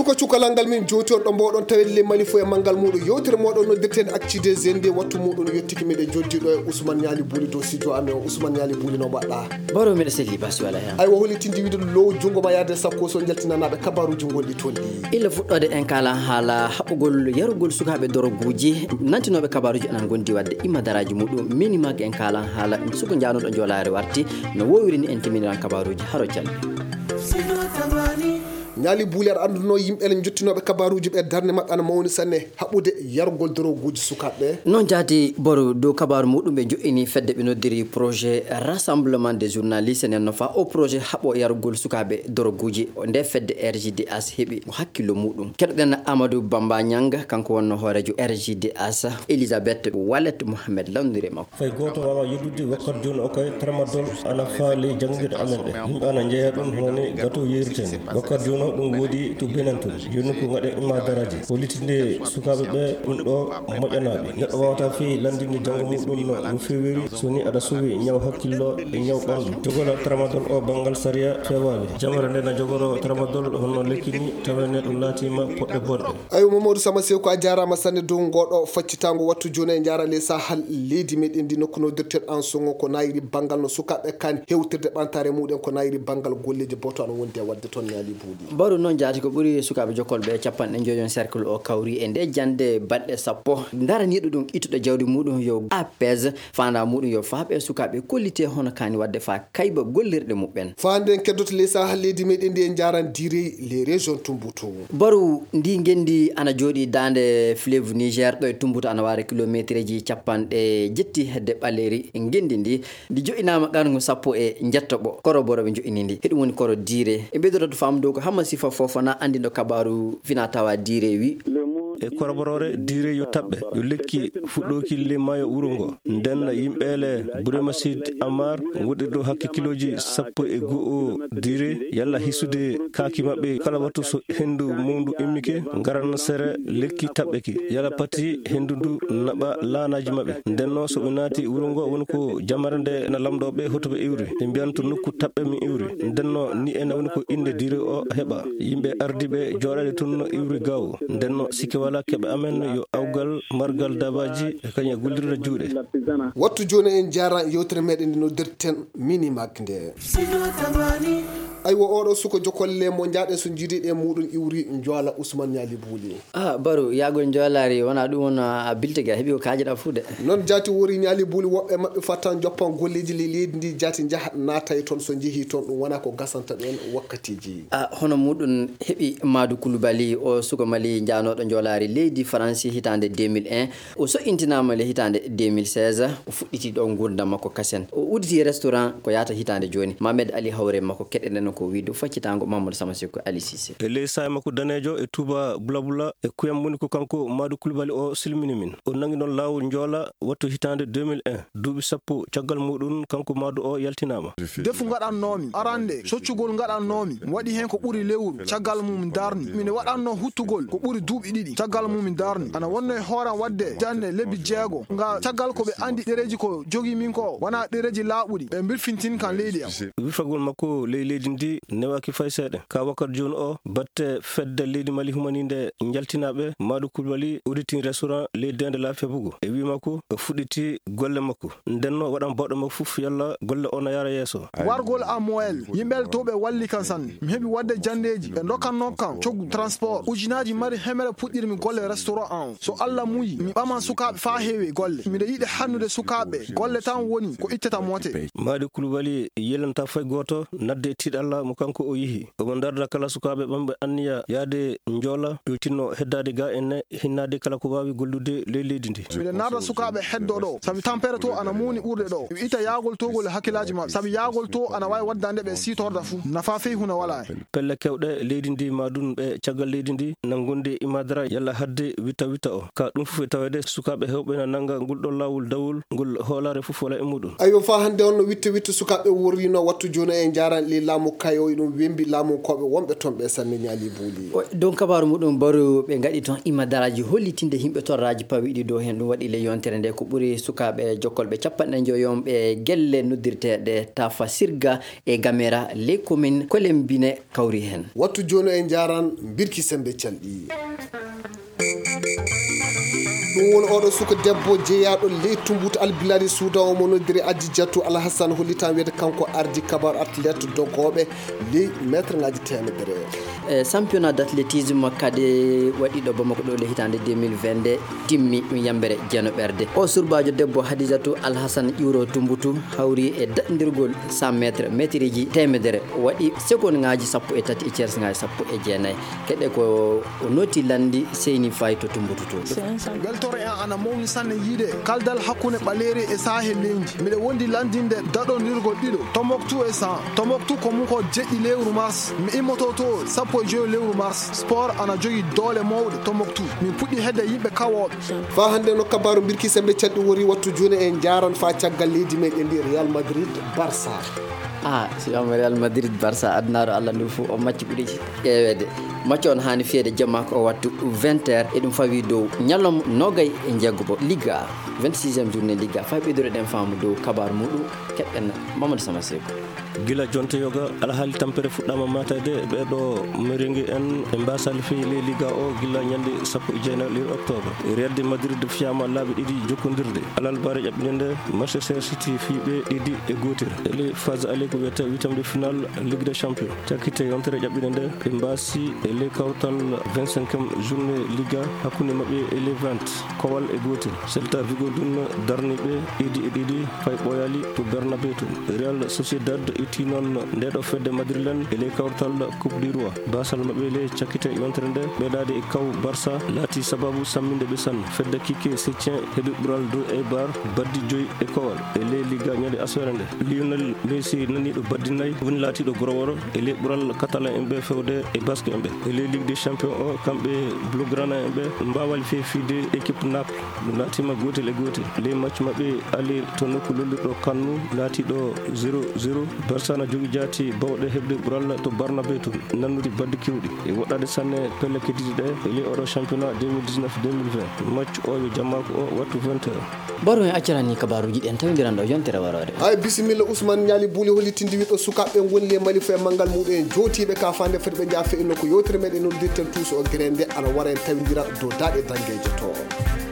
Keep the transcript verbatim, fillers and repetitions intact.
Ko cukalal ngal min jowti on ɗo mboɗon tawede le Mali fof e manngal muɗum. Yewtere moɗon noddirten Actu des Jeunes nde wattu muɗum yettiki, miɗen joddi ɗo e Ousmane Niali Bouli dow studio amen o. Ousmane Niali Bouli, no mbaɗɗa? Baro, miɗo selli, ba si wala hen. Aywa, holi tindi wiɗo low junngo ma yaade sakko so jaltinanaɓe kabaruji gonɗi toon ɗi. Illa fuɗɗode en kalan haala haɓɓugol yarugol sukaaɓe doroguuji. Nantinooɓe kabaruuji anan ngondi wadde imadaraaji muɗum. Minimak en kalan haala suko jaanuɗo joolaare warti. No woowiri ni en timiniran kabaruuji haro calli. Niali Bouli, aɗa annduno yimɓe ene jottinooɓe kabaruuji ɓe darnde maɓɓe ana mawni sanne haɓɓude yarugol doroguuji sukaaɓe ɓe? Noon jaati Baro, dow kabaaru muɗum ɓe joɗɗini fedde ɓe noddiri projet Rassemblement des journalistes, nen no fa o projet haɓɓo yarugol sukaaɓe doroguuji. Nde fedde R J D S heɓi ko hakkillo muɗum. Keɗoɗen Amadou Bamba Niang, kanko wonno hooreejo R J D S, Elisabeth Wallet Mohamed lawndiri e makko. Fay gooto waawaa yeddude wakkati jooni o kay tramadol ana faa ley janngirɗe amen ɗe. Yimɓe ana njeya ɗum hono ni gato yeeritee ni. Wakkati jooni o ɗum woodi to Benin toon. Jooni ko ngaɗe imadaraaji. Hollitinde sukaaɓe ɓe ɗum ɗo moƴƴanaaɓe. Neɗɗo waawataa fii lanndinde janngo muɗum no, no feewiri so ni aɗa sowi ñaw hakkillo e ñaw ɓanndu. Jogora tramadol o banngal sariya feewaali. Jamara nde na jogoro tramadol honno lekki ni, tawene ɗum laatiima poɗɗe bonɗe. Ayo, Mamadou Sama Sew, ko a jaaraama sanne dow ngoɗo faccitaango wattu jooni. En njaara le Sahal, leydi meɗen ndi nokku noddirten en Songo, ko nayiri banngal no sukaaɓe kan hewtirde ɓantaare muɗen, ko nayiri banngal golleeji boto ana wondi e waɗde toon Niali Bouli. Baro, noon jaati ko ɓuri sukaaɓe jokkolɓe capanɗe joyi on cercle o kawri e nde jannde baɗɗe sappo. Ndaraniiɗo ɗum ittuɗo jawdi muɗum yo A P S, faandaa muɗum yo faaɓe sukaaɓe kollitee hono kaani waɗde faa kayba gollirɗe muɓɓen. Faa nden keddoto le Sahal, leydi meɗen ndi en njaaran diiri les régions Tombouctou. Baro, ndi ngenndi ana jooɗi daande fleuve Niger, ɗo e Tombouctou ana waara kilomeetreeji capanɗe jetti hedde ɓaleeri ngenndi ndi. Ndi joɗɗinaama qarngu sappo e njettoɓo. Koro Boro ɓe joɗɗini ndi. Heɗum woni koro diire. E ɓeydoto to faamu dow ko Hamma Sifa Fofana anndinɗo kabaaru fina tawa diire wi. E koroboroore diire yo taɓɓe, yo lekki fuɗɗooki le maayo wuro ngo. Nden yimɓe le Buremasid Amar woɗɗi ɗo hakke kilooji sappo e go'o diire, yalla hisude kaaki maɓɓe kala wattu so henndu mawndu immike, ngaran sere lekki taɓɓe ki. Yalla pati henndu ndu naɓa laanaaji maɓɓe. Ndenno so ɓe naati wuro ngo woni ko jamare nde na lamɗo ɓe hoto ɓe iwri. Ɓe mbiyan to nokku taɓɓe mi iwri. Ndenno ni ene woni ko innde diire o heɓa. Yimɓe ardiiɓe jooɗaade toon no iwri gawo. Ndenno sikke wala keɓe amen yo awgal margal dabaaji e kañum e gollirde juuɗe. Wattu jooni en njaara yewtere meɗen nde noddirten Minimak nde. Aywa, oɗo suko jokolle mo njaaɗen so jiidiiɗe muɗum iwri Njoola Ousmane Niali Bouli. Ah, Baro, yahgol Njoolaari wonaa ɗum woni a biltigi a heɓi ko kaajaɗaa fuu de. Noon jaati wori Niali Bouli, woɓɓe maɓɓe fatan joppan golleeji ley leydi ndi jaati njaha naata e toon, so njehii toon ɗum wonaa ko gasanta ɓeen wakkatiiji. Ah, hono muɗum heɓi Maadu Kulubali, o suko Mali njaanooɗo Njoolaari leydi Faransi hitaande deux mille un. O so'intinaama le hitaande deux mille seize, o fuɗɗiti ɗo nguurndam makko kasen. O udditi restaurant ko yaata hitaande jooni. Mohamed Ali hawre makko keɗeɗen ko wiide faccitaango Mamadou Sama Sekou Ali Cissé. E ley saa'i makko daneejo e tuuba bulabula e kuyam woni ko kanko Maadu Kulubali o silmini min. O nangi noon laawol Njoola wattu hitaande deux mille un, duuɓi sappo caggal muɗum kanko Maadu o yaltinaama. Defu ngaɗannoomi, arande, soccugol ngaɗannoomi, mi waɗi heen ko ɓuri lewru, caggal mum darni. Mine waɗanno huttugol ko ɓuri duuɓi ɗiɗi, caggal mum mi darni. Ana wonno e hooram waɗde jannde lebbi jeego, nga caggal ko ɓe anndi ɗereeji ko jogii min ko wonaa ɗereeji laaɓuɗi, ɓe mbirfintin kan leydi am. Wirfagol makko ley leydi ndi newaaki fay seeɗa. Ka wakkati jooni o, batte fedde leydi Mali humaniinde njaltinaaɓe, Maadu Kulubali udditin restaurant ley deende laafiya bugo. E wii makko, o fuɗɗiti golle makko. Ndenno waɗan bawɗe makko fof yalla golle o na yara yeeso. Wargol am Moel, yimɓe towɓe walli kan sanne. Mi heɓi waɗde janndeeji, ɓe ndokkanno kan coggu transport. Ujunaaji mari hemere puɗɗirmi golle restaurant an. So Allah muyi, mi ɓaman sukaaɓe faa heewi golle. Miɗo yiɗi hannude sukaaɓe, golle tan woni ko ittata moote. Maadi Kulubali yelanta fay gooto, nadde e tiiɗalla mo kanko o yihi. Omo darda kala sukaaɓe ɓamɓe anniya yaade Njoola, yo tinno heddaade ga enne, hinnaade kala ko waawi gollude ley leydi ndi. Miɗo narda sukaaɓe heddo ɗo, sabi tampere to ana mawni ɓurde ɗo. Mi itta yaagol towgol e hakkillaaji maɓɓe, sabi yaagol to ana waawi waddande ɓe siitorda fuu. Nafa fey huna walaa hen. Pelle kewɗe leydi ndi ma ɗum ɓe caggal leydi ndi na ngondi e imadara yalla hadde witta witta o. Ka ɗum fof e taweede sukaaɓe heewɓe na nannga ngol ɗo laawol dawol ngol hoolaare fof wala e muɗum. Aywa, faa hannde on no witte witte sukaaɓe worrino wattu jooni e njaran ley laamu Kayo ɗum wembi laamunkooɓe wonɓe toon ɓe sanne ñaali buuli. Dow kabaaru muɗum, baru ɓe ngaɗi toon imadaraaji hollitinde yimɓe torraaji pawiɗi dow heen. Ɗum waɗi le yontere nde ko ɓuri sukaaɓe jokkolɓe capanɗe njoyo ɓe gelle noddirteeɗe Tafa Sirga e Gamera, les communes Kolembine kawri heen. Wattu jooni en njaaran Birki Sembe Calɗi. Ɗum woni oɗo suka debbo jeyaaɗo ley tumbutu albiladi Suudan, omo noddiri Adji Diatou Alhassan, hollitan wiyde kanko ardi kabar athlète dogooɓe ley mètre ngaji teemedere. E championnat d'athlétisme kadi waɗiɗo Bamako ɗo le hitaande deux mille vingt-deux timmi ɗum yambere jeeno ɓerde. O surbaajo debbo Hadijatu Alhassan ƴuuro tumbutu hawri e daɗndirgol cent mètres, meetiriji teemedere, waɗi seconde ngaji sappo e tati e tierce ngaji sappo e jeenayi. Keɗe ko o noti landi seyni fay to tumbutu to. Weltore en ana mawni sanne yiide kaldal hakkunde ɓaleeri e saahe leydi. Miɗo wondi landinde daɗondirgol ɗiɗo, Tomoktu e San. Tomoktu ko mun ko jeɗɗi lewru mars. Mi immoto to sappo e joyo lewru mars. Sport ana jogi doole mawɗe Tomoktu. Min puɗɗi hedde yimɓe kawooɓe. Faa hannde no kabaaru Birki Sembe Calɗi wori, wattu jooni en njaaran faa caggal leydi meɗen ndi, Real Madrid, Barça. Ah, si wiyama Real Madrid, Barça, adunaaru Allah ndu fof o macci ɓuri ƴeeweede. Macco on haani fiyeede jamma ko o wattu vingt heures, eɗum fawi dow ñalawma noogay e jeegom Liga, vingt-sixième journée Liga. Faa ɓeydoreɗen faamu dow kabaaru muɗum, keɗɗen Mamadou Sama Seeku. Gila jonte yoga, alhaali tampere fuɗɗaama maataade e ɓeeɗo merengue en e mbaasal fii ley Liga o gila ñande sappo e jeenayi lewru octobre. Real de Madrid fiyaama laabi ɗiɗi jokkondirde. Alarba ƴaɓɓinde nde, Manchester City fii ɓe ɗiɗi e gootel. E ley phase aller ko wiyata huitième de finale Ligue des Champions. Cakkite yontere ƴaɓɓinde nde, ɓe mbaasi e ley kawtal vingt-cinquième journée Liga hakkunde maɓɓe e Levante. Kowal e gootel. Celta Vigo ɗum darni ɓe ɗiɗi e ɗiɗi fay ɓooyaali to Bernabeu to. Real Sociedad itti noon ndeeɗo fedde Madrilen e ley kawtal Coupe du Roi. Baasal maɓɓe ley cakkite yontere nde ɓeydaade e kaw Barça laati sababu samminde ɓe sanne. Fedde Kike Setien heɓi ɓural dow Eibar baddi joyi e kowal. E ley Liga ñande aswere nde, Lionel Messi naniiɗo baddi nayi woni laatiiɗo goroworo e ley ɓural Catalan en ɓe fewde e Basque en ɓe. E ley Ligue des Champions o, kamɓe Blaugrana en ɓe mbaawali feefiide équipe Naples. Ɗum laatiima gootel e gootel. Ley match maɓɓe aller to nokku lollirɗo Camp Nou laatiiɗo zéro zéro. Barça na jogi jaati bawɗe heɓde ɓural to Bernabeu to nannudi baddi kewɗi. E woɗɗaade sanne pelle keddiiɗe ɗe e ley oɗo championnat deux mille dix-neuf deux mille vingt. Match o yo jammaako o wattu vingt heures. Baro en accarani kabaaruuji ɗen tawindiran ɗo yontere waroore. Hay bisimilla, Ousmane Ñaali Buuli hollitindi wiɗɗo sukaaɓe ɓe ngoni le Mali fo e manngal muɗum en jootiiɓe ka fande foti ɓe njaa fe'ino ko yewtere meɗen noddirten tuuso o gere nde ana wara en tawindira dow daaɗe dangeejo to.